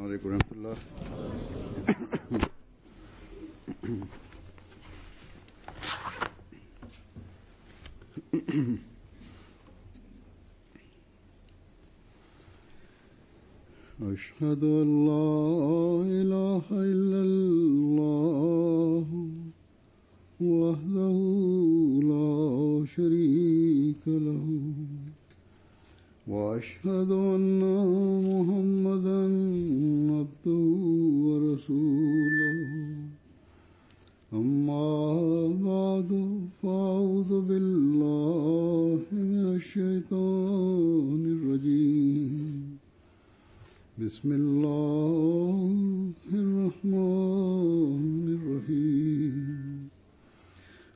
alaikum warahmatullah. أشهد أن لا إله إلا الله وحده لا شريك له وأشهد أن محمدا عبده ورسوله أما بعد فأعوذ بالله من الشيطان الرجيم بسم الله الرحمن الرحيم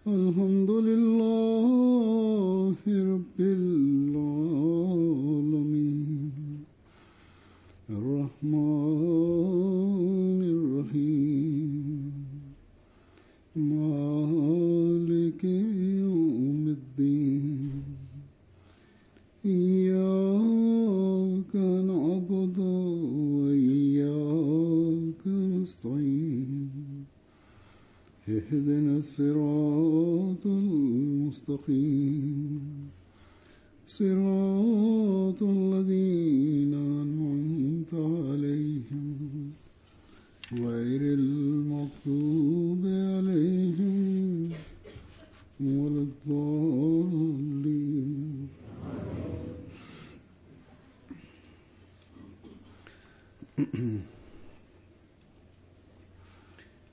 الحمد لله رب العالمين الرحمن الرحيم مالك يوم الدين إياك نعبد وإياك نستعين اهدنا الصراط المستقيم صراط الذين أنعمت عليهم غير المغضوب عليهم ولا الضالين.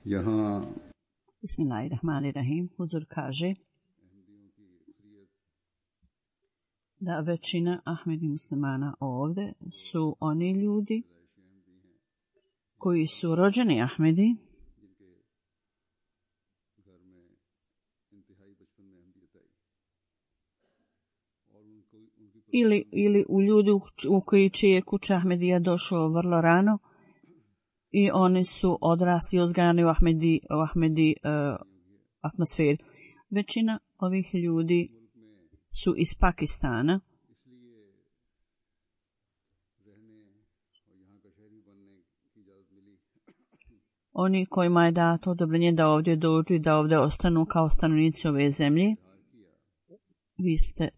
यहाँ Bismillahirrahmanirrahim. Huzur kaže da većina Ahmedi muslimana ovdje su oni ljudi koji su rođeni Ahmedi ili u ljudi u koji čije kuća Ahmedija došao vrlo rano i oni su odrasli i uzgajani u Ahmedi atmosferi. Većina ovih ljudi su iz Pakistana. Oni kojima je dato odobrenje da ovdje dođu i da ovdje ostanu kao stanovnici ove zemlje. Vi ste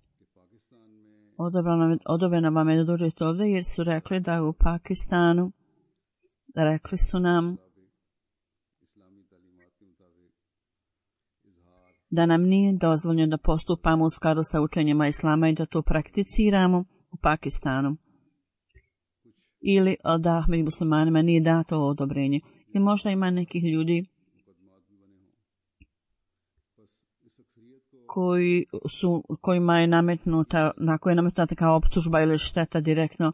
odobreno vam je da dođete ovdje jer su rekli da je u Pakistanu, rekli su nam da nam nije dozvoljeno da postupamo u skladu sa učenjima Islama i da to prakticiramo u Pakistanu. Ili da Ahmedi muslimanima nije dato odobrenje. I možda ima nekih ljudi kojima je nametnuta kao optužba ili šteta direktno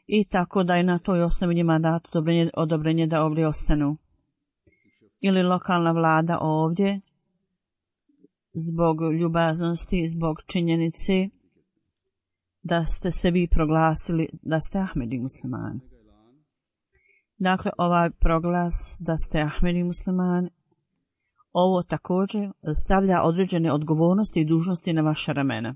i tako da je na toj osnovi njima dato odobrenje da ovdje ostanu. Ili lokalna vlada ovdje zbog ljubaznosti, zbog činjenice da ste se vi proglasili da ste Ahmedi muslimani. Dakle, ovaj proglas da ste Ahmedi muslimani, ovo također stavlja određene odgovornosti i dužnosti na vaša ramena.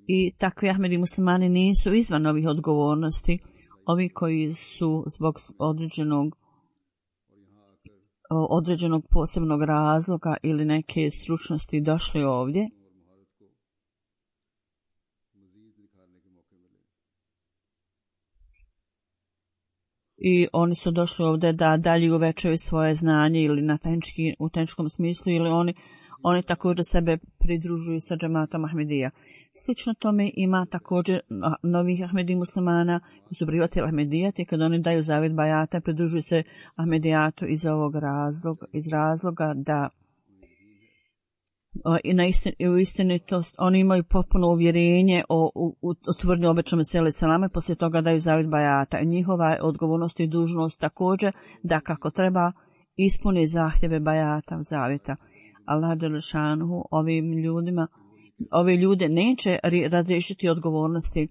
I takvi Ahmedi muslimani nisu izvan ovih odgovornosti, ovi koji su zbog određenog posebnog razloga ili neke stručnosti došli ovdje. I oni su došli ovdje da dalje uvećaju svoje znanje ili u tehničkom smislu ili oni također sebe pridružuju sa džematom Ahmedija. Slično tome ima također novih Ahmedi muslimana koji su prihvatili Ahmedijat i kad oni daju zavjet bajata pridružuju se Ahmedijatu iz razloga da u istinitost oni imaju potpuno uvjerenje o tvrdnju obećanom Meseli selama i poslije toga daju zavjet bajata. I njihova odgovornost i dužnost također da kako treba ispuni zahtjeve bajata zavjeta. Allah dželešanuhu ove ljude neće razriješiti odgovornosti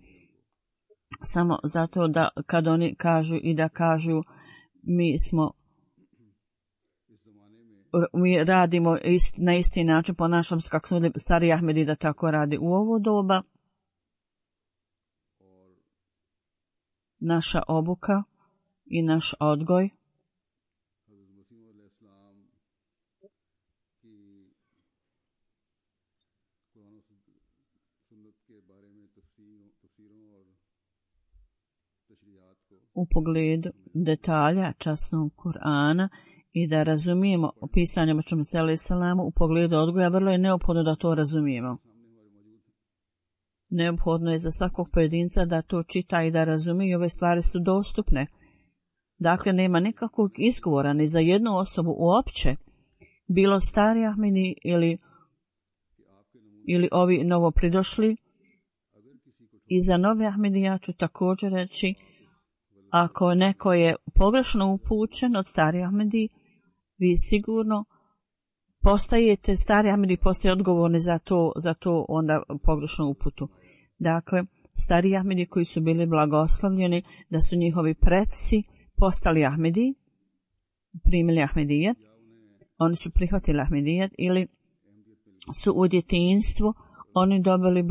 samo zato da kad oni kažu mi radimo na isti način, ponašamo se kako su stari Ahmedi da tako radi u ovo doba. naša obuka i naš odgoj u pogledu detalja časnog Kur'ana i da razumijemo pisanje Muhammeda s.a.v. u pogledu odgoja, vrlo je neophodno da to razumijemo. Neophodno je za svakog pojedinca da to čita i da razumije i ove stvari su dostupne. Dakle, nema nikakvog izgovora ni za jednu osobu uopće, bilo stari Ahmedi ili ovi novopridošli. I za nove Ahmedi ja ću također reći, ako neko je pogrešno upućen od stari Ahmedi, vi sigurno postajete, stari Ahmedi postaje odgovorni za to onda pogrešnu uputu. Dakle, stari Ahmedi koji su bili blagoslovljeni, da su njihovi preci postali Ahmedi, primili Ahmedijet, oni su prihvatili Ahmedijet ili su u djetinjstvu oni dobili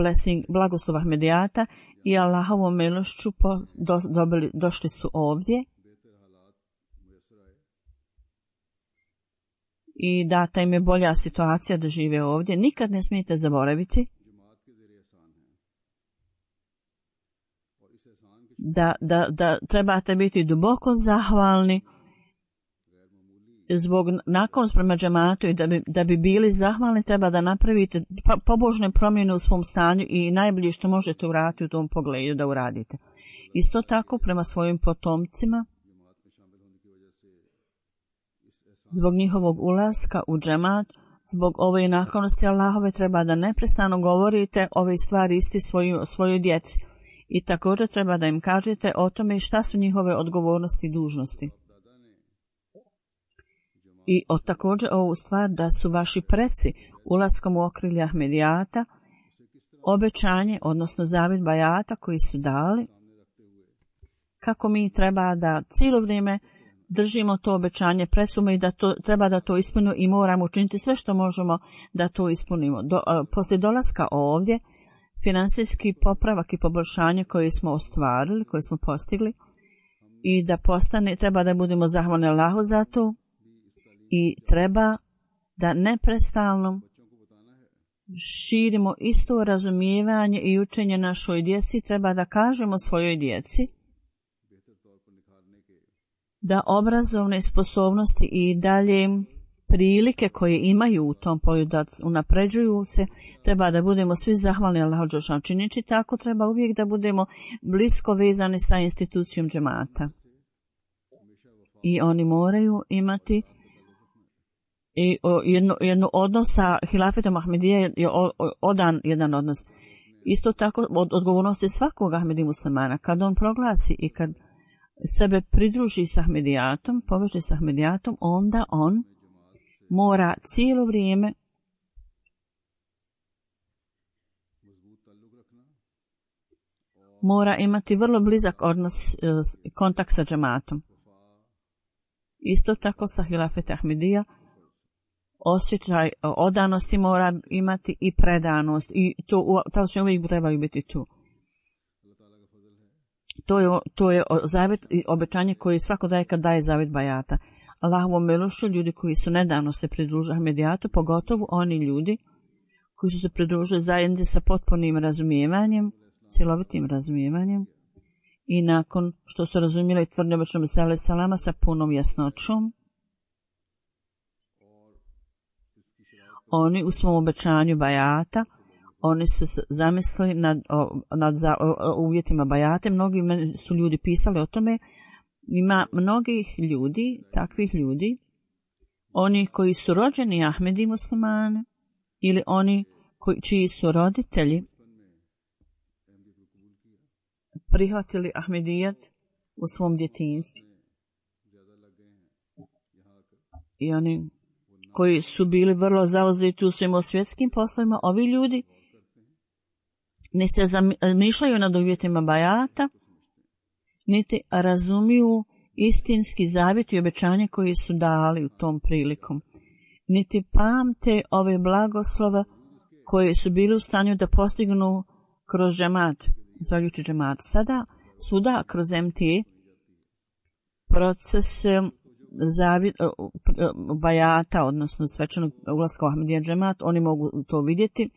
blagoslov Ahmedijata i Allahovom milošću došli su ovdje i data im je bolja situacija da žive ovdje. Nikad ne smijete zaboraviti da trebate biti duboko zahvalni zbog naklonost prema džematu i da bi bili zahvalni treba da napravite pobožne promjene u svom stanju i najbolje što možete uraditi u tom pogledu da uradite. Isto tako prema svojim potomcima, zbog njihovog ulaska u džemat, zbog ove naklonosti Allahove treba da neprestano govorite ove stvari isti svojoj djeci i također treba da im kažete o tome šta su njihove odgovornosti i dužnosti. I također ovu stvar da su vaši preci ulaskom u okrilje Ahmedijata obećanje, odnosno zavjet bajata koji su dali, kako mi treba da cijelo vrijeme držimo to obećanje precuma i da treba da to ispunimo i moramo učiniti sve što možemo da to ispunimo. Poslije dolaska ovdje, finansijski popravak i poboljšanje koje smo ostvarili, koje smo postigli i da treba da budemo zahvalni Allahu za to i treba da neprestalno širimo isto razumijevanje i učenje našoj djeci. Treba da kažemo svojoj djeci da obrazovne sposobnosti i dalje prilike koje imaju u tom polju da unapređuju se, treba da budemo svi zahvalni Allahu dželešanu. Činići tako treba uvijek da budemo blisko vezani sa institucijom džemata. I oni moraju imati i jedno odnos sa hilafetom Ahmedije je jedan odnos. Isto tako odgovornost je svakog Ahmedi muslimana. Kad on proglasi i kad sebe pridruži sa Ahmedijatom, poveže sa Ahmedijatom, onda on mora cijelo vrijeme mora imati vrlo blizak odnos, kontakt sa džematom. Isto tako sa hilafet Ahmedija osjećaj odanosti mora imati i predanost i to će uvijek trebaju biti tu. To je zavjet i obećanje koje svako daje kad daje zavjet bajata. Allahovom milošću ljudi koji su nedavno se pridružili Ahmedijatu, pogotovo oni ljudi koji su se pridružili zajedno sa potpunim razumijevanjem, cjelovitim razumijevanjem i nakon što su razumjeli tvrdnje Muhammeda s.a.v. sa punom jasnoćom, oni u svom obećanju bajata, oni su zamislili nad uvjetima bajate. Mnogi su ljudi pisali o tome. Ima mnogih ljudi, takvih ljudi, oni koji su rođeni Ahmedi muslimani ili oni čiji su roditelji prihvatili Ahmedijat u svom djetinjstvu. I oni koji su bili vrlo zauzeti u svim svjetskim poslovima, ovi ljudi niti se zamišljaju nad uvjetima bajata, niti razumiju istinski zavjet i obećanje koji su dali u tom prilikom, niti pamte ove blagoslova koje su bili u stanju da postignu kroz džemat, zahvaljujući džemat. Sada Svuda kroz MTA proces bajata, odnosno svečanog ulaska u Ahmadija džemat, oni mogu to vidjeti.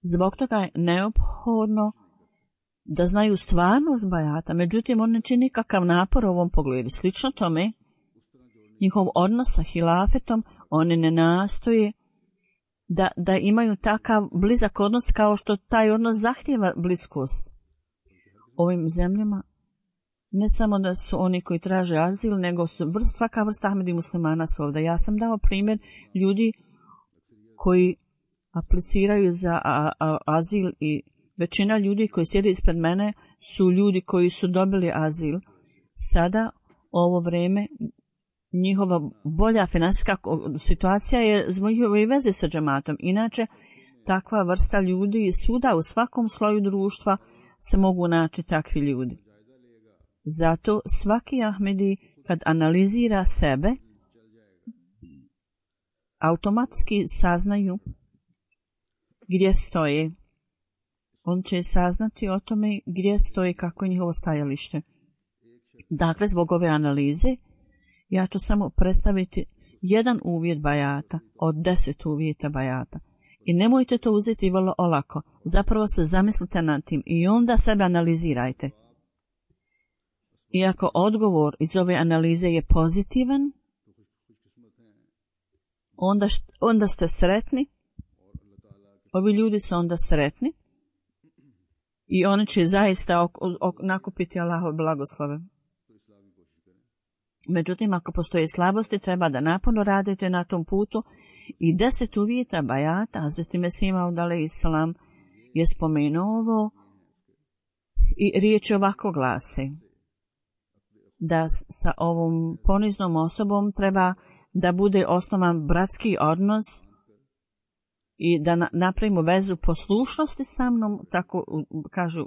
Zbog toga je neophodno da znaju stvarnost bajata, međutim on ne čini nikakav napor u ovom pogledu. Slično tome, njihov odnos sa hilafetom, oni ne nastoje da imaju takav blizak odnos kao što taj odnos zahtijeva bliskost. Ovim zemljama ne samo da su oni koji traže azil, nego su svaka vrsta Ahmedi muslimana su ovdje. Ja sam dao primjer ljudi koji apliciraju za azil i većina ljudi koji sjede ispred mene su ljudi koji su dobili azil. Sada, ovo vrijeme, njihova bolja finansijska situacija je zbog njihove veze sa džematom. Inače, takva vrsta ljudi svuda u svakom sloju društva se mogu naći takvi ljudi. Zato svaki Ahmedi kad analizira sebe, automatski saznaju gdje stoje. On će saznati o tome gdje stoji, kako je njihovo stajalište. Dakle, zbog ove analize, ja ću samo predstaviti jedan uvjet bajata od 10 uvjeta bajata. I nemojte to uzeti vrlo olako. Zapravo se zamislite nad tim i onda sebe analizirajte. Iako odgovor iz ove analize je pozitivan, onda ste sretni. Ovi ljudi su onda sretni i oni će zaista nakupiti Allahove blagoslove. Međutim, ako postoje slabosti, treba da naporno radite na tom putu. I 10 uvjeta bajata, Hazreti Mesih Maud alejselam je spomenuo ovo i riječ ovako glasi: da sa ovom poniznom osobom treba da bude osnovan bratski odnos i da napravimo vezu poslušnosti sa mnom, tako kažu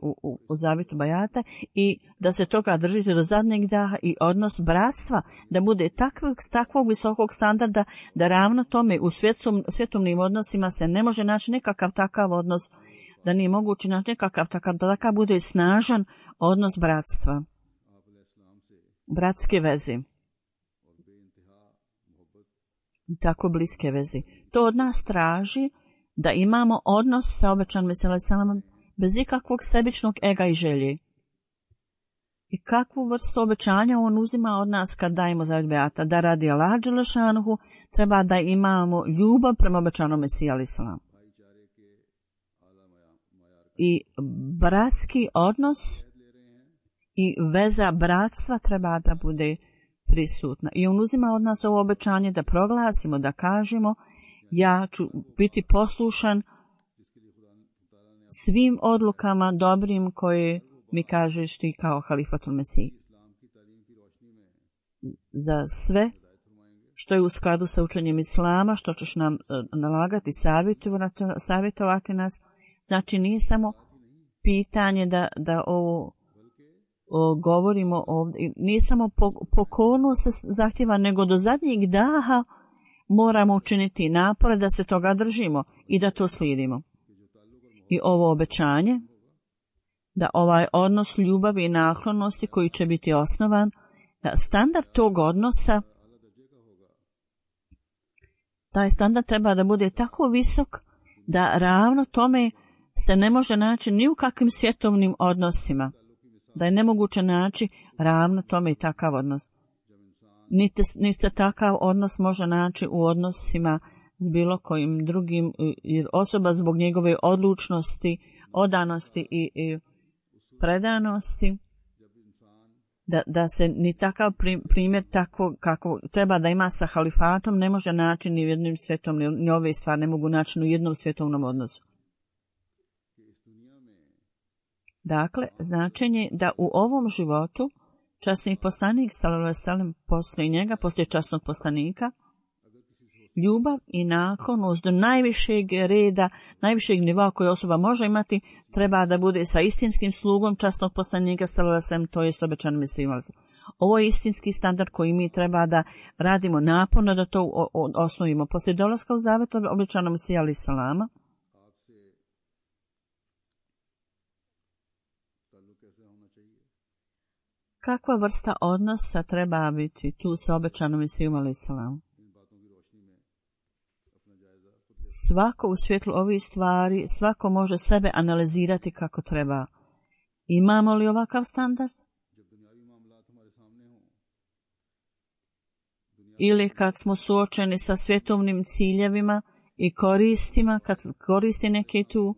u zavitu bajata, i da se toga držite do zadnjeg daha, i odnos bratstva da bude takvog visokog standarda da ravno tome u svjetovnim odnosima se ne može naći nekakav takav odnos, da nije moguće naći nekakav takav, da takav bude snažan odnos bratstva, bratske veze, tako bliske veze. To od nas traži da imamo odnos sa obećanim Mesijom alejselamom bez ikakvog sebičnog ega i želje. I kakvu vrstu obećanja on uzima od nas kad dajemo zavet bejata? Da radi Allaha dželle šanuhu treba da imamo ljubav prema obećanom Mesiji alejselam. I bratski odnos i veza bratstva treba da bude prisutna. I on uzima od nas ovo obećanje da proglasimo, da kažemo: ja ću biti poslušan svim odlukama dobrim koje mi kažeš ti kao halifatul Mesih. Za sve što je u skladu sa učenjem Islama, što ćeš nam nalagati, savjetovati nas. Znači nije samo pitanje da ovo govorimo ovdje, nije samo pokornost se zahtjeva, nego do zadnjeg daha moramo učiniti napore da se toga držimo i da to slijedimo. I ovo obećanje, da ovaj odnos ljubavi i naklonosti koji će biti osnovan, da standard tog odnosa, taj standard treba da bude tako visok da ravno tome se ne može naći ni u kakvim svjetovnim odnosima, da je nemoguće naći ravno tome i takav odnos. Niti se takav odnos može naći u odnosima s bilo kojim drugim, jer osoba zbog njegove odlučnosti, odanosti i predanosti, da se ni takav primjer tako kako treba da ima sa halifatom ne može naći ni u jednom svjetovnom, ni ove stvari ne mogu naći ni u jednom svjetovnom odnosu. Dakle, značenje da u ovom životu časni poslanik sallallahu alejhi ve sellem poslije njega, poslije časnog poslanika, ljubav i naklonost do najvišeg reda, najvišeg nivoa koje osoba može imati, treba da bude sa istinskim slugom časnog poslanika sallallahu alejhi ve sellem, to jest obećanim Mesijom. Ovo je istinski standard koji mi treba da radimo naporno da to osnovimo. Poslije dolaska u zavet obećanom Mesija alejhi selama, Kakva vrsta odnosa treba biti tu sa obećanom Mesijom alejselam? Svako u svjetlu ovih stvari, svako može sebe analizirati kako treba. Imamo li ovakav standard? Ili kad smo suočeni sa svjetovnim ciljevima i koristima, kad koristi neke tu,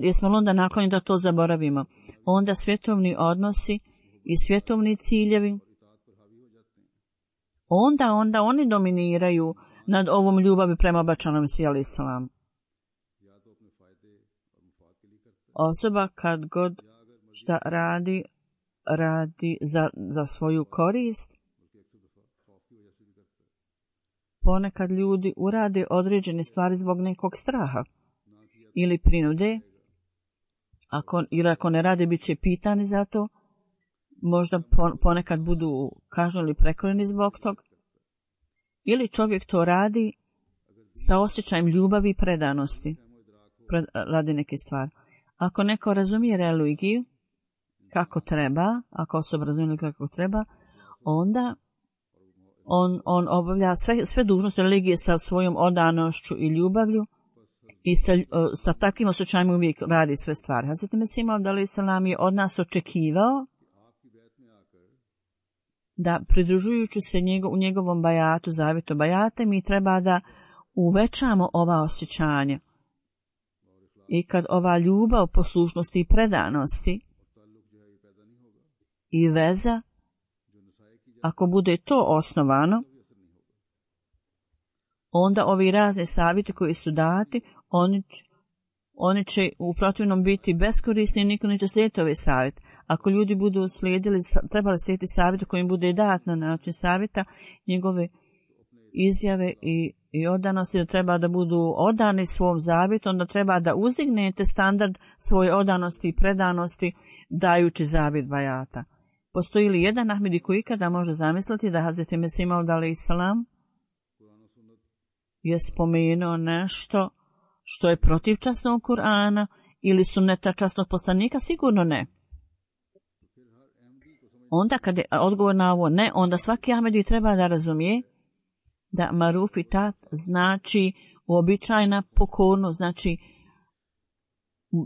jesmo li onda naklonjeni da to zaboravimo? Onda svjetovni odnosi i svjetovni ciljevi, onda oni dominiraju nad ovom ljubavi prema obećanom Mesiji alejselam. Osoba kad god šta radi za svoju korist. Ponekad ljudi urade određene stvari zbog nekog straha ili prinude, ako ne rade bit će pitani za to, možda ponekad budu kažnjeni ili prekrojeni zbog tog, ili čovjek to radi sa osjećajem ljubavi i predanosti radi neke stvari. Ako neko razumije religiju kako treba, ako osoba razumije kako treba, onda on obavlja sve dužnosti religije sa svojom odanošću i ljubavlju i sa takvim osjećajima uvijek radi sve stvari. Hazreti Mesih alejselam je od nas očekivao da pridružujući se u njegovom bajatu, zavjetu bajate, mi treba da uvećamo ova osjećanja. I kad ova ljubav, poslušnosti i predanosti i veza, ako bude to osnovano, onda ovi razni savjeti koji su dati, oni će u protivnom biti beskorisni i niko neće slijediti ovaj savjet. Ako ljudi budu trebali slijediti savjet koji im bude dat na način savjeta, njegove izjave i odanosti, da treba da budu odani svom zavjetu, onda treba da uzdignete standard svoje odanosti i predanosti dajući zavjet bajata. Postoji li jedan Ahmedi koji ikada može zamisliti da Hazreti Mesih alejselam je spomenuo nešto što je protiv časnog Kur'ana ili sunneta časnog poslanika? Sigurno ne. Onda kad je odgovor na ovo ne, onda svaki Ahmedi treba da razumije da maruf i tat znači uobičajena pokornost, znači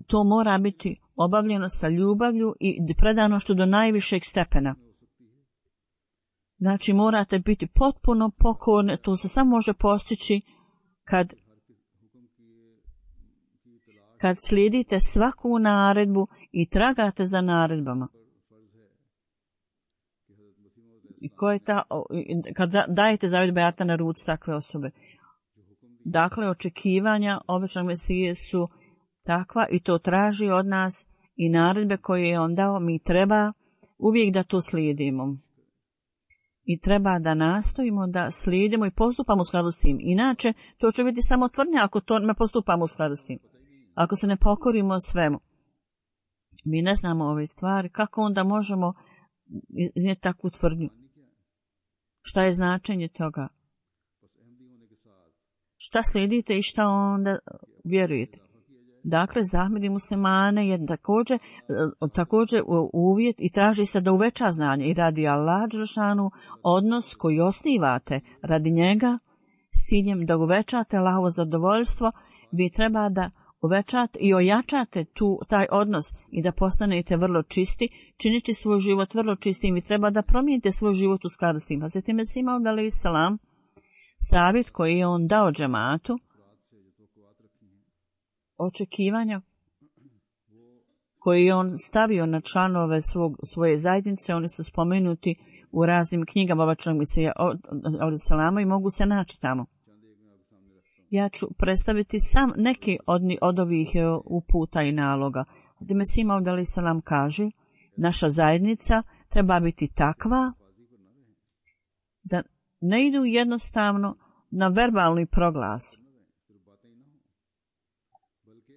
to mora biti obavljeno sa ljubavlju i predanošću do najvišeg stepena. Znači morate biti potpuno pokorni, to se samo može postići kad slijedite svaku naredbu i tragate za naredbama. I kad dajete zavjet bajata na ruci takve osobe. Dakle, očekivanja obećanog Mesije su takva i to traži od nas i naredbe koje je on dao, mi treba uvijek da to slijedimo. I treba da nastojimo da slijedimo i postupamo u skladu s tim. Inače, to će biti samo tvrdnja ako to ne postupamo u skladu s tim. Ako se ne pokorimo svemu. Mi ne znamo ove stvari, kako onda možemo iznijeti takvu tvrdnju? Šta je značenje toga? Šta slijedite i šta onda vjerujete? Dakle, za Ahmedi muslimane je također uvjet i traži se da uveća znanje i radi Allah dželešanu odnos koji osnivate radi njega s ciljem da uvećate Allahovo zadovoljstvo, vi treba da uvećate i ojačate taj odnos i da postanete vrlo čisti, čineći svoj život vrlo čistim. Vi treba da promijenite svoj život u skladu s tim. Hazreti Mesih alejselam, savjet koji je on dao džematu, očekivanja koji je on stavio na članove svoje zajednice, oni su spomenuti u raznim knjigama obećanog Mesija alejselama i mogu se naći tamo. Ja ću predstaviti sam neki od ovih uputa i naloga. Mesih alejselam kaže, naša zajednica treba biti takva da ne idu jednostavno na verbalni proglas.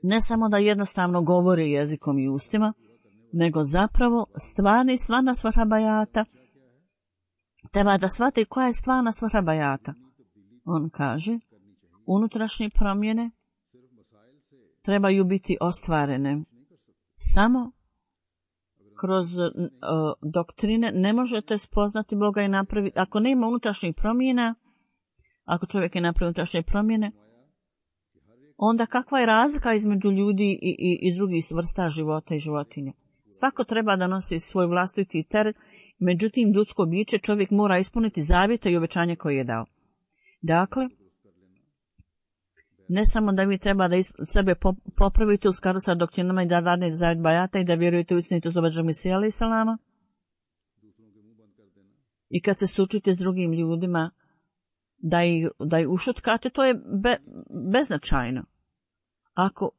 Ne samo da jednostavno govore jezikom i ustima, nego zapravo stvarna svrha bajata. Treba da shvate koja je stvarna svrha bajata. On kaže, unutrašnje promjene trebaju biti ostvarene Samo kroz doktrine ne možete spoznati Boga i napraviti. Ako nema unutrašnjih promjena, ako čovjek je napravio unutrašnje promjene, onda kakva je razlika između ljudi i drugih vrsta života i životinja? Svako treba da nosi svoj vlastiti teret, međutim ljudsko biće čovjek mora ispuniti zavjete i obećanje koje je dao. Dakle, ne samo da vi treba da sebe popravite u skladu sa doktrinama i da radite zavjet bajata i da vjerujete u istinitost obećanog Mesija alejhi selama. I kad se sučite s drugim ljudima, da ih ušutkate, to je beznačajno. Ako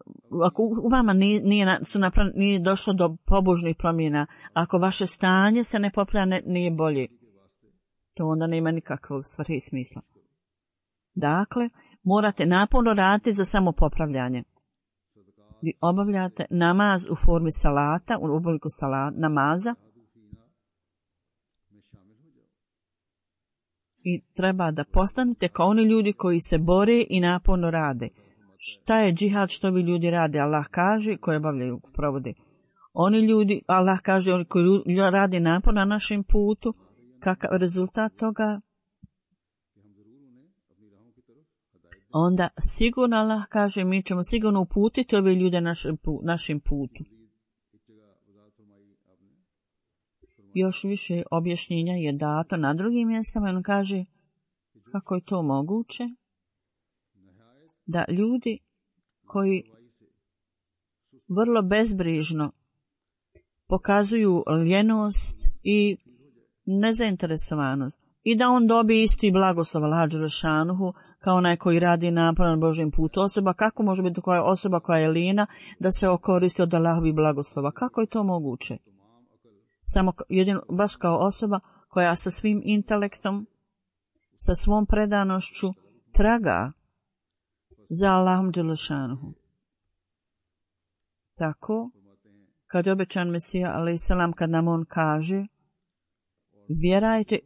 u vama nije došlo do pobožnih promjena, ako vaše stanje se ne popravlja, nije bolje, to onda nema nikakvog svrhe i smisla. Dakle, morate naporno raditi za samopopravljanje. Vi obavljate namaz u formi salata, u obliku namaza, i treba da postanete kao oni ljudi koji se bore i naporno rade. Šta je džihad, što vi ljudi rade? Allah kaže, koji obavljaju, provode. Oni ljudi, Allah kaže, oni koji rade napor na našem putu, kakav rezultat toga? Onda sigurno Allah kaže, mi ćemo sigurno uputiti ove ljude našim putu. Još više objašnjenja je dato na drugim mjestama. On kaže kako je to moguće da ljudi koji vrlo bezbrižno pokazuju ljenost i nezainteresovanost i da on dobije isti blagoslov Allaha dželle šanuhu kao onaj koji radi napor na Božjem putu. Osoba, kako može biti koja osoba koja je lijena da se okoristi od Allahovih blagoslova? Kako je to moguće? Samo jedino, baš kao osoba koja sa svim intelektom, sa svom predanošću traga za Allahom dželle šanuhu. Tako, kad je obećan Mesija alejhi selam, kad nam on kaže,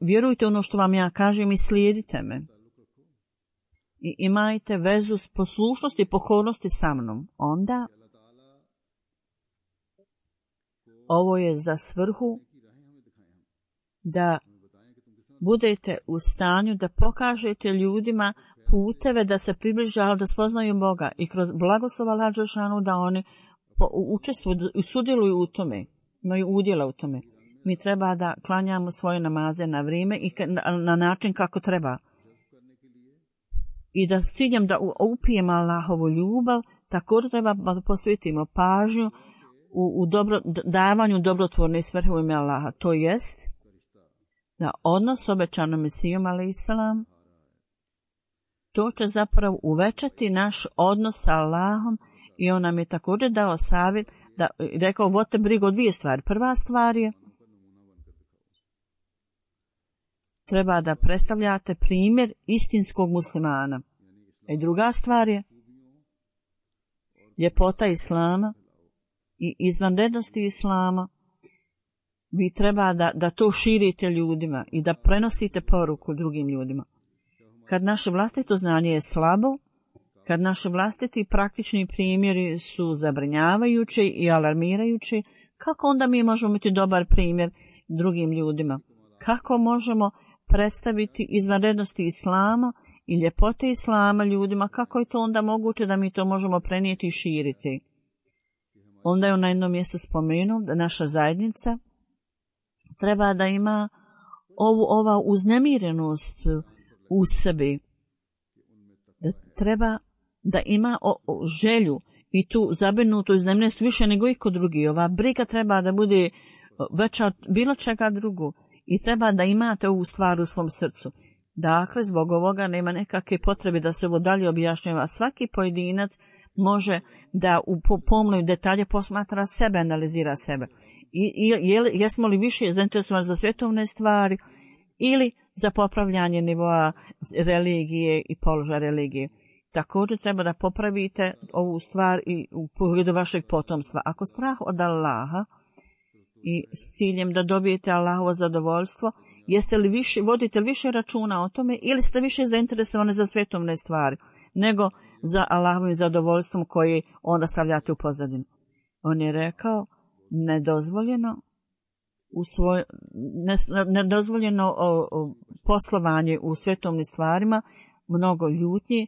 vjerujte ono što vam ja kažem i slijedite me. I imajte vezu s poslušnosti i pokornosti sa mnom. Onda ovo je za svrhu da budete u stanju da pokažete ljudima puteve da se približavaju, da spoznaju Boga i kroz blagoslov Allaha dželle šanuhu da oni učestvuju i sudjeluju u tome, imaju udjela u tome. Mi treba da klanjamo svoje namaze na vrijeme i na način kako treba. I da s ciljem da upijemo Allahovu ljubav, također treba da posvetimo pažnju u davanju dobrotvorne svrhe u ime Allaha. To jest da odnos s obećanom Mesijom alejhi selam, to će zapravo uvećati naš odnos sa Allahom i on nam je također dao savjet, rekao, vodite brigu o dvije stvari. Prva stvar je, treba da predstavljate primjer istinskog muslimana. I druga stvar je ljepota Islama i izvanrednosti Islama. Vi treba da to širite ljudima i da prenosite poruku drugim ljudima. Kad naše vlastito znanje je slabo, kad naši vlastiti praktični primjeri su zabrinjavajući i alarmirajući, kako onda mi možemo biti dobar primjer drugim ljudima? Kako možemo predstaviti izvanrednosti Islama i ljepote Islama ljudima? Kako je to onda moguće da mi to možemo prenijeti i širiti? Onda je on na jednom mjestu spomenuo da naša zajednica treba da ima ova uznemirenost u sebi. Da treba da ima želju i tu zabrinutu uznemirenost više nego iko drugi. Ova briga treba da bude veća od bilo čega drugo. I treba da imate ovu stvar u svom srcu. Dakle, zbog ovoga nema nekakve potrebe da se ovo dalje objašnjava. Svaki pojedinac može da u pomnoj detalje posmatra sebe, analizira sebe. Jesmo li više zainteresovani za svjetovne stvari ili za popravljanje nivoa religije i položaja religije. Također treba da popravite ovu stvar i u pogledu vašeg potomstva. Ako strah od Allaha i s ciljem da dobijete Allahovo zadovoljstvo, vodite li više računa o tome ili ste više zainteresovani za svjetovne stvari nego za Allahovim zadovoljstvom koji onda stavljate u pozadinu. On je rekao, nedozvoljeno poslovanje u svetovnim stvarima, mnogo ljutnji,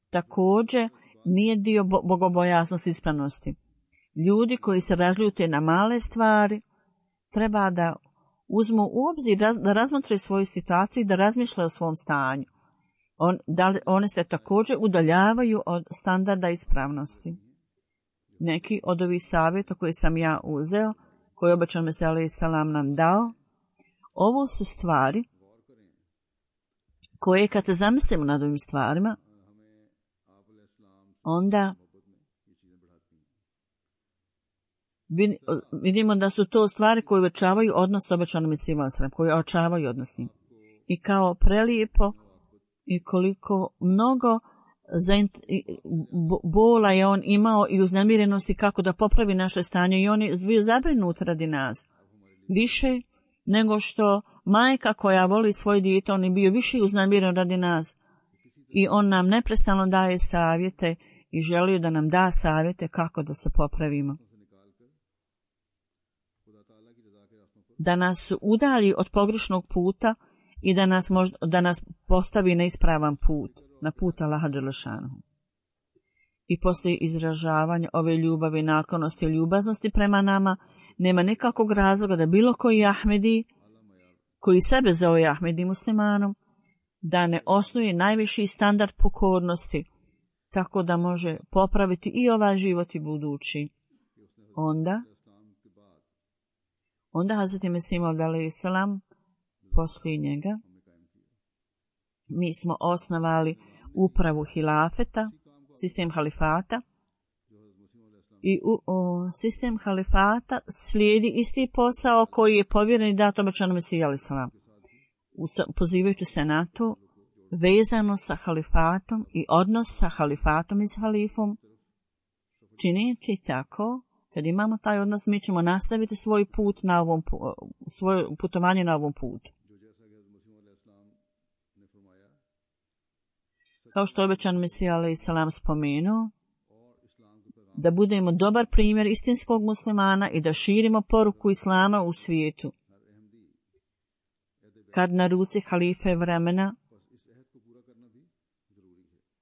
također nije dio bogobojaznosti ispravnosti. Ljudi koji se razljute na male stvari treba da uzmu u obzir, da razmotre svoju situaciju i da razmišljaju o svom stanju. One se također udaljavaju od standarda ispravnosti. Neki od ovih savjeta koje sam ja uzeo, koje obećan Mesija alejhi selam nam dao, ovo su stvari koje kad se zamislimo nad ovim stvarima, onda vidimo da su to stvari koje uvećavaju odnos s obećanim Mesijom alejhi selam, koje ojačavaju odnos s njim. I kao prelijepo i koliko mnogo bola je on imao i uznemirenosti kako da popravi naše stanje i on je bio zabrinut radi nas. Više nego što majka koja voli svoje dijete, on je bio više uznemiren radi nas. I on nam neprestano daje savjete i želio da nam da savjete kako da se popravimo. Da nas udalji od pogrešnog puta i da nas postavi na ispravan put, na put Allaha dželešanu. I poslije izražavanja ove ljubavi, naklonosti i ljubaznosti prema nama, nema nikakvog razloga da bilo koji Ahmedi, koji sebe zove Ahmedi muslimanom, da ne osnuje najviši standard pokornosti, tako da može popraviti i ovaj život i budući. Onda Hazreti Mesih Maud alejhi selam poslije njega, mi smo osnovali upravu hilafeta, sistem halifata, i sistem halifata slijedi isti posao koji je povjeren i dat obećanom Mesiji alejhi selam. Pozivajući se na to, vezano sa halifatom i odnos sa halifatom i s halifom, činići tako, kad imamo taj odnos, mi ćemo nastaviti svoj put na svoje putovanje na ovom putu. Kao što je obećan Mesija alejhi selam spomenuo, da budemo dobar primjer istinskog muslimana i da širimo poruku islama u svijetu. Kad na ruci halife vremena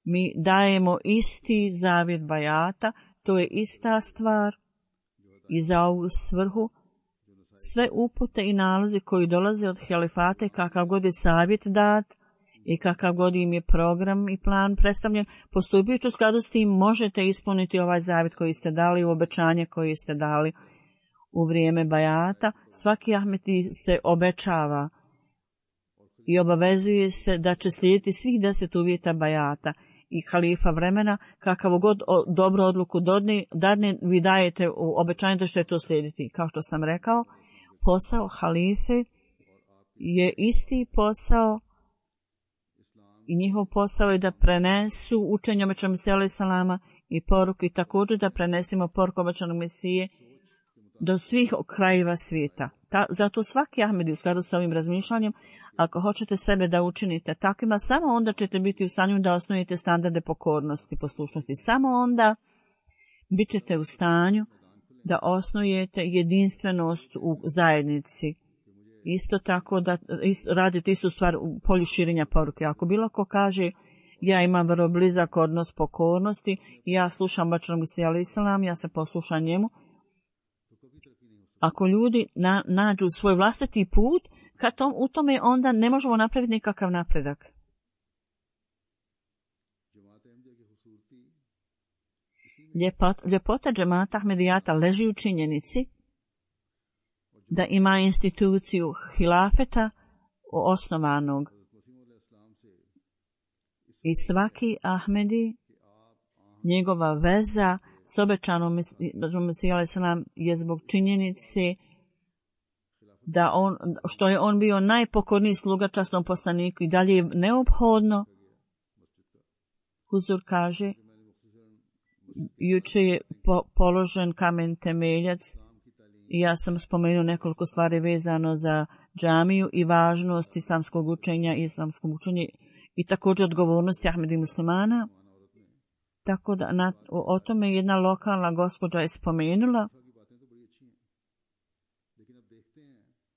mi dajemo isti zavjet bajata, to je ista stvar i za ovu svrhu sve upute i nalozi koji dolaze od halifata i kakav god je savjet dat i kakav god im je program i plan predstavljen, postupajući u skladu s tim možete ispuniti ovaj zavjet koji ste dali, u obećanje koje ste dali u vrijeme bajata. Svaki Ahmedi se obećava i obavezuje se da će slijediti svih 10 uvjeta bajata i halifa vremena, kakav god dobro odluku dadne, vi dajete u obećanje da ćete to slijediti. Kao što sam rekao, posao halife je isti posao i njihov posao je da prenesu učenje obećanog Mesije alejhi selama i poruku i također da prenesimo poruku obećanog Mesije do svih krajeva svijeta. Zato svaki Ahmedi u skladu s ovim razmišljanjem, ako hoćete sebe da učinite takvima, samo onda ćete biti u stanju da osnujete standarde pokornosti, poslušnosti. Samo onda bit ćete u stanju da osnujete jedinstvenost u zajednici. Isto tako da radite istu stvar u polju širenja poruke. Ako bilo ko kaže ja imam vrlo blizak odnos pokornosti, ja slušam obećanog Mesiju alejhi selam, ja se poslušam njemu. Ako ljudi nađu svoj vlastiti put, u tome onda ne možemo napraviti nikakav napredak. Ljepota džemata Ahmedijata leži u činjenici da ima instituciju hilafeta osnovanog i svaki Ahmedi, njegova veza s obećanom Mesijom alejhi selam je zbog činjenice da što je on bio najpokorniji sluga časnom poslaniku i dalje je neophodno. Huzur kaže, juče je položen kamen temeljac i ja sam spomenuo nekoliko stvari vezano za džamiju i važnost islamskog učenja i također odgovornosti Ahmedi muslimana. Tako da o tome jedna lokalna gospođa je spomenula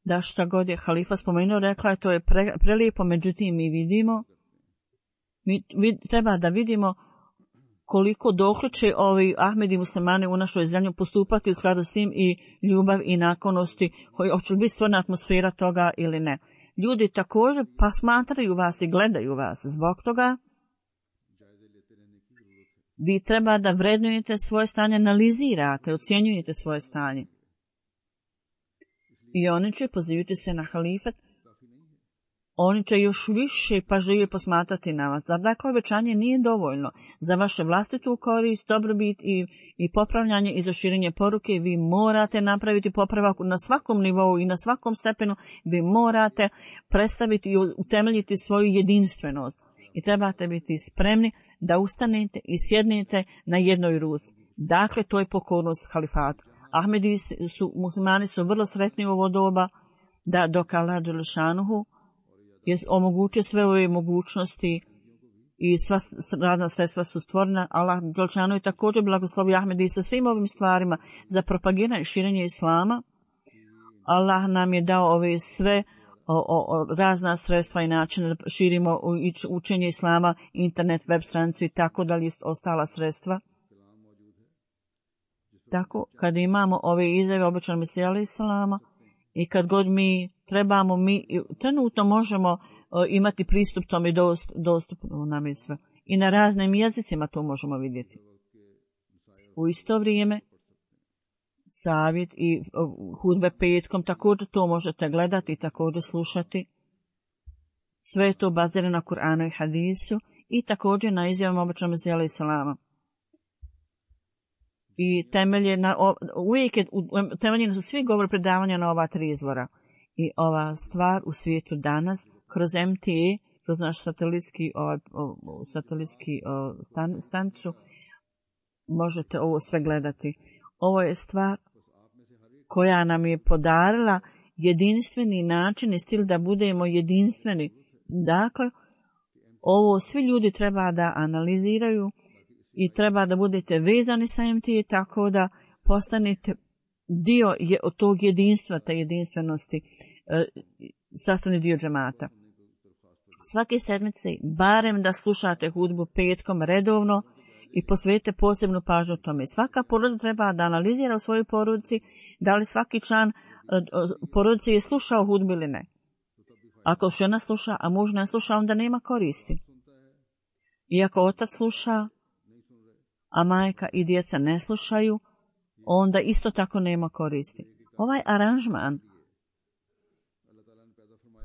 da šta god je halifa spomenuo, rekla je to je prelijepo, međutim mi vidimo, treba da vidimo koliko dokle će ovi Ahmedi muslimani u našoj zemlji postupati u skladu s tim i ljubav i naklonosti, hoće li biti stvorna atmosfera toga ili ne. Ljudi također pa smatraju vas i gledaju vas. Zbog toga vi treba da vrednujete svoje stanje, analizirate, ocjenjujete svoje stanje. I oni će, pozivajući se na halifat, oni će još više pažljivije posmatrati na vas. Dakle, obećanje nije dovoljno. Za vaše vlastitu korist, dobrobit i popravljanje i za širenje poruke vi morate napraviti popravak na svakom nivou i na svakom stepenu. Vi morate predstaviti i utemeljiti svoju jedinstvenost. I trebate biti spremni da ustanete i sjednete na jednoj ruci. Dakle, to je pokornost halifatu. Ahmedi muslimani su vrlo sretni u ovo doba da dok Allah dželešanuhu omogućuje sve ove mogućnosti i sva radna sredstva su stvorena. Allah dželešanuhu je također blagoslovio Ahmedi sa svim ovim stvarima za propagiranje i širenje islama. Allah nam je dao ove sve razna sredstva i načine da širimo učenje islama, internet, web stranicu i tako dalje, ostala sredstva. Tako, kad imamo ove izjave obećanog Mesija alejhi selama i kad god mi trebamo, mi trenutno možemo imati pristup tome, dostupno nam je sve. I na raznim jezicima to možemo vidjeti. U isto vrijeme, savjet i hudbe petkom, također to možete gledati i također slušati. Sve je to bazirano na Kur'anu i hadisu i također na izjavama obećanog Mesija alejhi selama. I temeljeni su svi govori predavanja na ova 3 izvora. I ova stvar u svijetu danas, kroz MTA, kroz naš satelitski stanicu, možete ovo sve gledati. Ovo je stvar koja nam je podarila jedinstveni način i stil da budemo jedinstveni. Dakle, ovo svi ljudi treba da analiziraju i treba da budete vezani sa MTA tako da postanete dio od tog jedinstva, te jedinstvenosti, sastavni dio džemata. Svake sedmice, barem da slušate hudbu petkom redovno i posvetite posebnu pažnju tome. Svaka porodica treba da analizira u svojoj porodici da li svaki član porodice je slušao hudbu ili ne. Ako žena sluša, a muž ne sluša, onda nema koristi. I ako otac sluša, a majka i djeca ne slušaju, onda isto tako nema koristi. Ovaj aranžman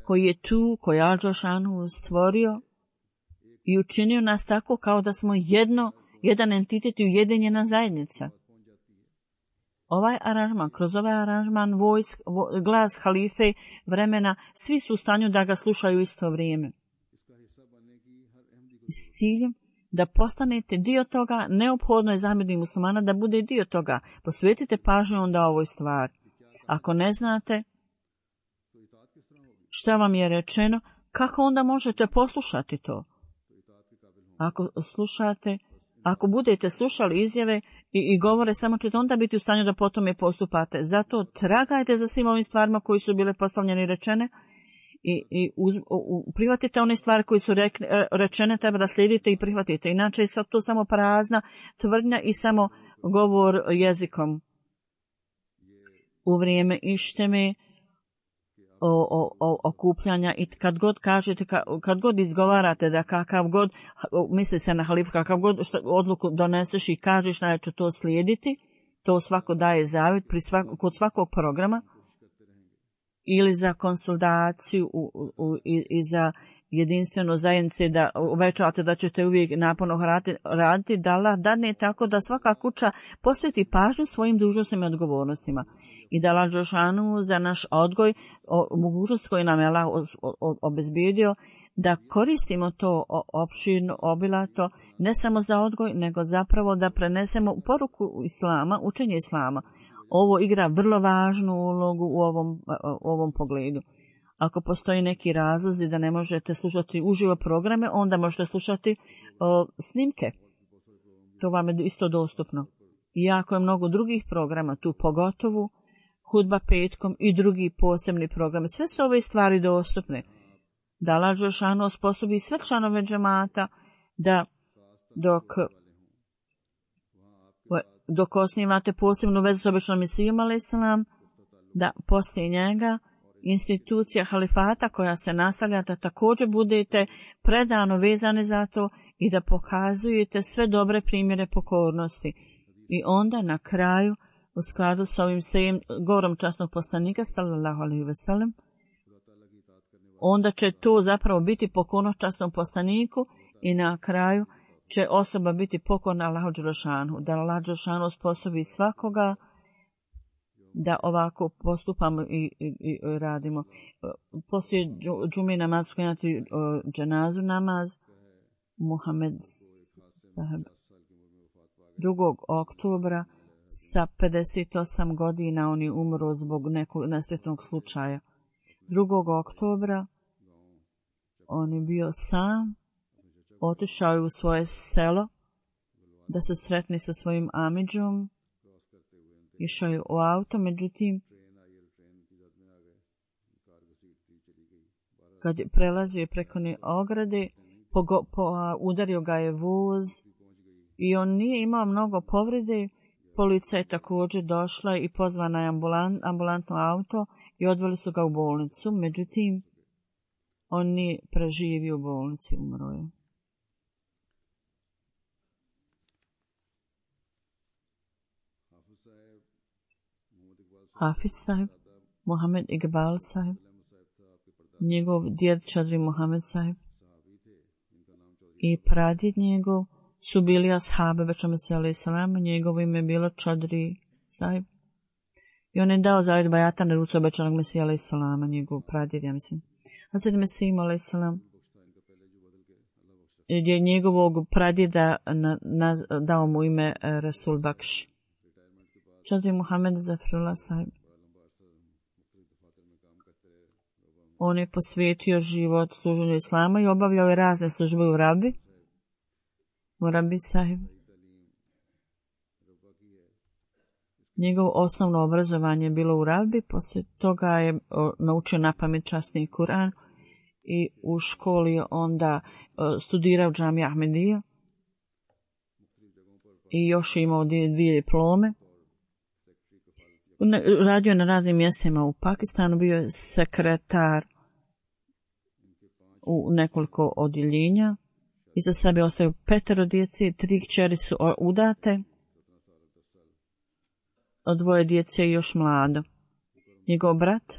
koji je tu, koji je Al-Dželešanu stvorio i učinio nas tako kao da smo jedan entitet i ujedinjena zajednica. Ovaj aranžman, kroz ovaj aranžman glas halife vremena, svi su u stanju da ga slušaju isto vrijeme. S ciljem da postanete dio toga, neophodno je za Ahmedi muslimana da bude dio toga. Posvetite pažnju onda ovoj stvari. Ako ne znate šta vam je rečeno, kako onda možete poslušati to? Ako budete slušali izjave i govore, samo ćete onda biti u stanju da potom je postupate. Zato tragajte za svim ovim stvarima koji su bile postavljene i rečene i prihvatite one stvari koje su rečene, treba da slijedite i prihvatite. Inače je to samo prazna tvrdnja i samo govor jezikom. U vrijeme išteme, okupljanja i kad god kažete, kad god izgovarate da kakav god, misli se na halifu, kakav god odluku doneseš i kažeš da će to slijediti, to svako daje zavjet kod svakog programa ili za konsultaciju i za jedinstveno zajednice, da uvećavate da ćete uvijek naporno raditi, da Allah dadne tako da svaka kuća posveti pažnju svojim dužnostima i odgovornostima. I da Allah dželešanu za naš odgoj, mogućnost koju nam je Allah obezbijedio, da koristimo to opširno, obilato, ne samo za odgoj, nego zapravo da prenesemo poruku islama, učenje islama. Ovo igra vrlo važnu ulogu u ovom pogledu. Ako postoji neki razlozi da ne možete slušati uživo programe, onda možete slušati snimke. To vam je isto dostupno. Iako je mnogo drugih programa, tu pogotovo hudba petkom i drugi posebni programi. Sve su ove stvari dostupne. Da Allah dželešanu osposobi sve članove džemata da dok osnivate posebnu vezu s običnom Mesijom alejselam, da poslije njega institucija halifata koja se nastavlja, da također budete predano vezani za to i da pokazujete sve dobre primjere pokornosti. I onda na kraju, u skladu s ovim govorom časnog poslanika sallallahu alejhi ve sellem, onda će to zapravo biti pokornost časnom poslaniku i na kraju će osoba biti pokorna Allahu dželešanu, da Allah dželešanu osposobi svakoga da ovako postupamo i radimo. Poslije džume namaz sklanjati dženazu namaz Muhammed saheb 2. oktobra sa 58 godina on je umro zbog nekog nesretnog slučaja. 2. oktobra on je bio sam, otišao je u svoje selo da se sretne sa svojim amidžom, išao je u auto, međutim kad je prelazio preko ne ograde, udario ga je voz i on nije imao mnogo povrede. Policija je također došla i pozvana je ambulantno auto i odveli su ga u bolnicu, međutim on nije preživio u bolnici, umro je. Hafiz sahib, Mohamed Iqbal sahib, njegov djed Čadri Mohamed sahib i pradjed njegov su bili ashabe Beća Mesija alejselam, njegovo ime je bilo Čadri sahib. I on je dao zavjet bajata na rucu obećanog Mesija alejselama, njegov pradjed, ja mislim. Hazret Mesih alejselam je njegovog pradjeda dao mu ime Rasul Bakš. Čadri Mohamed Zafrullah sahib. On je posvetio život služenju islama i obavljao je razne službe u Rabi. Murabi sahib. Njegovo osnovno obrazovanje je bilo u Rabi, poslije toga je naučio napamet časni Kur'an i u školi je onda studirao džamija Ahmedija i još je imao 2 diplome. Radio je na raznim mjestima u Pakistanu, bio je sekretar u nekoliko odjeljenja. Iza sebe ostaju 5 djece, 3 kćeri su udate, 2 djece je još mlado. Njegov brat,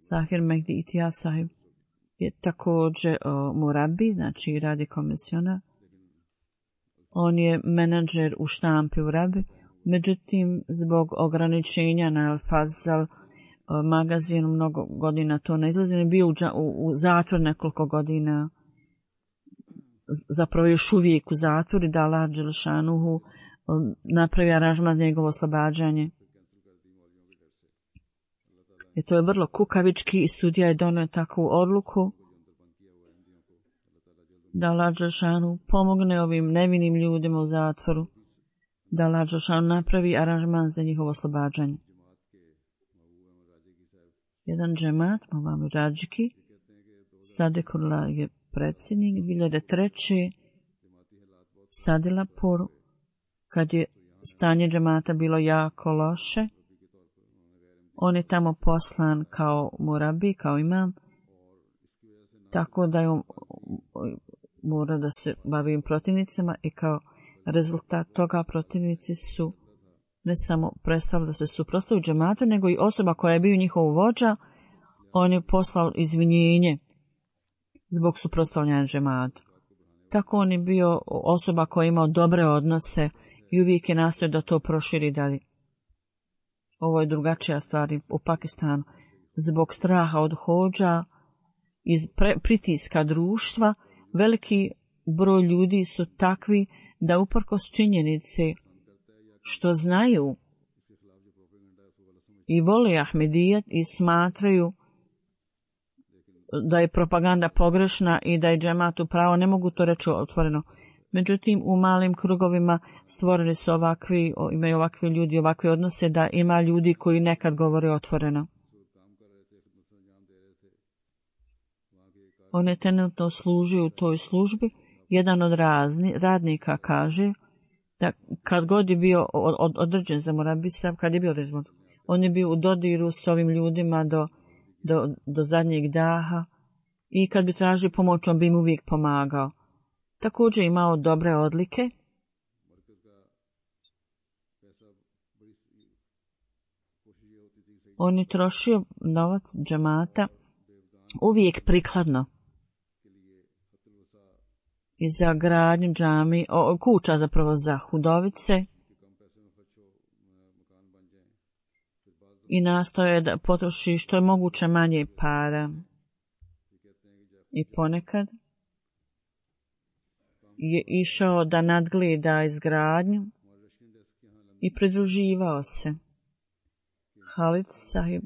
Zahir Mehdi Itija sahib, je također murabi, znači radi komisionar. On je menadžer u štampi u Rabi, međutim zbog ograničenja na Al-Fazal magazinu mnogo godina to ne izlazi. On je bio u zatvor nekoliko godina, zapravo još uvijek u zatvoru, da Allah dželešanuhu napravi aranžman za njegovo oslobađanje. I to je vrlo kukavički i sudija je donio takvu odluku da Allah dželešanuhu pomogne ovim nevinim ljudima u zatvoru, da Allah dželešanuhu napravi aranžman za njihovo oslobađanje. Jedan džemat, Mavami Radžiki, Sadekullah je predsjednik, 2003. Sadilapur, kad je stanje džemata bilo jako loše, on je tamo poslan kao murabi, kao imam, tako da je mora da se bavi protivnicima i kao rezultat toga protivnici su ne samo prestali da se suprotstavljaju džematu, nego i osoba koja je bio njihov vođa, on je poslao izvinjenje zbog suprotstavljanja džematu. Tako on je bio osoba koja je imao dobre odnose i uvijek je nastojao da to proširi dalje. Ovo je drugačija stvar u Pakistanu. Zbog straha od hodža i pritiska društva, veliki broj ljudi su takvi da uprkos činjenice što znaju i vole Ahmedijet i smatraju da je propaganda pogrešna i da je džemat u pravo, ne mogu to reći otvoreno. Međutim, u malim krugovima stvorili su imaju ovakvi ljudi, ovakve odnose da ima ljudi koji nekad govore otvoreno. On je trenutno služio u toj službi. Jedan od radnika kaže da kad god je bio određen za Murabisa, kad je bio određen, on je bio u dodiru s ovim ljudima do zadnjeg daha i kad bi tražio pomoć, on bi im uvijek pomagao. Također imao dobre odlike. On je trošio novac džemata uvijek prikladno i za gradnju džami, kuća zapravo za hudovice, i nastoje da potroši što je moguće manje para. I ponekad je išao da nadgleda izgradnju i pridruživao se. Halid Sahib,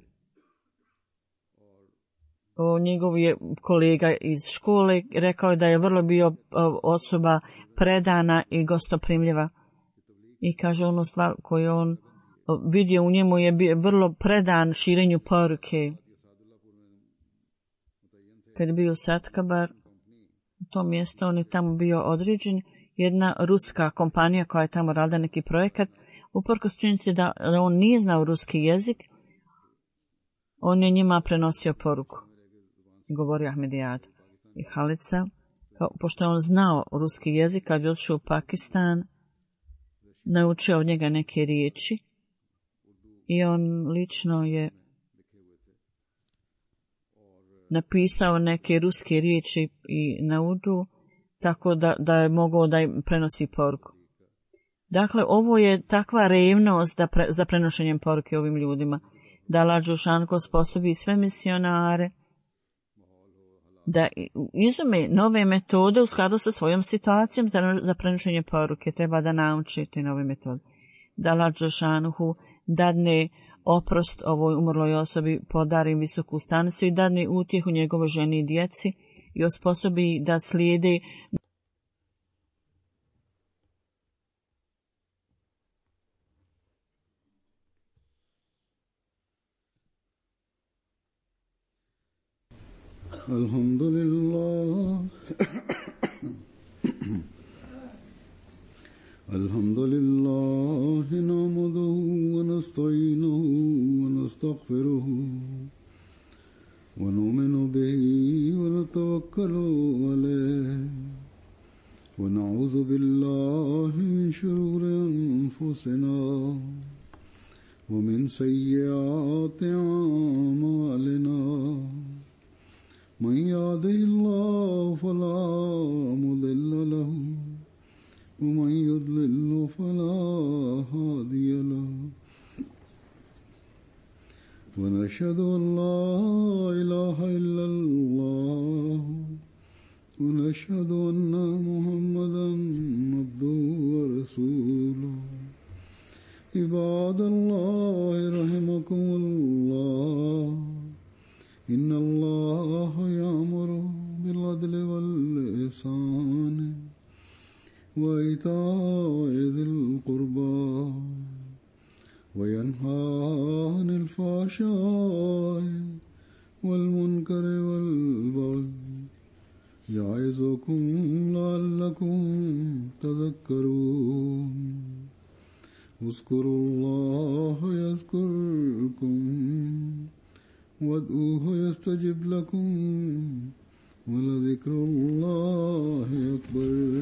njegov je kolega iz škole, rekao je da je vrlo bio osoba predana i gostoprimljiva. I kaže, onu stvar koju on vidio u njemu je bio vrlo predan širenju poruke. Kad je bio Satkabar, u tom mjestu on je tamo bio određen, jedna ruska kompanija koja je tamo radila neki projekat, uprkos činjenici da on nije znao ruski jezik, on je njima prenosio poruku. Govori Ahmedijad i Halica, pošto je on znao ruski jezik, kad je otišao u Pakistan, naučio od njega neke riječi i on lično je napisao neke ruske riječi i na urdu, tako da je mogao da im prenosi poruku. Dakle, ovo je takva revnost za prenošenjem poruke ovim ljudima, da Allah dželešanu sposobi sve misionare da izume nove metode u skladu sa svojom situacijom za prenošenje poruke. Treba da naučite nove metode. Da Allah dželešanu dadne oprost ovoj umrloj osobi, podari visoku stanicu i dadne utjehu njegovoj ženi i djeci i osposobi da slijede Alhamdulillah. Alhamdulillah nahmaduhu wa nasta'inuhu wa nastaghfiruhu wa nu'minu bihi wa natawakkalu alayhi wa na'udhu billahi min shururi anfusina wa min sayyiati a'malina. من يهده الله فلا مضل له ومن يضلل فلا هادي له ونشهد أن لا إله إلا الله ونشهد أن محمدا عبده ورسوله عباد الله رحمكم الله إن الله يأمر بالعدل والإحسان وإيتاء ذي القربى وينهى عن الفحشاء والمنكر والبغي يعظكم لعلكم تذكرون اذكروا الله يذكركم وادعوه يستجب لكم ولذكر الله أكبر.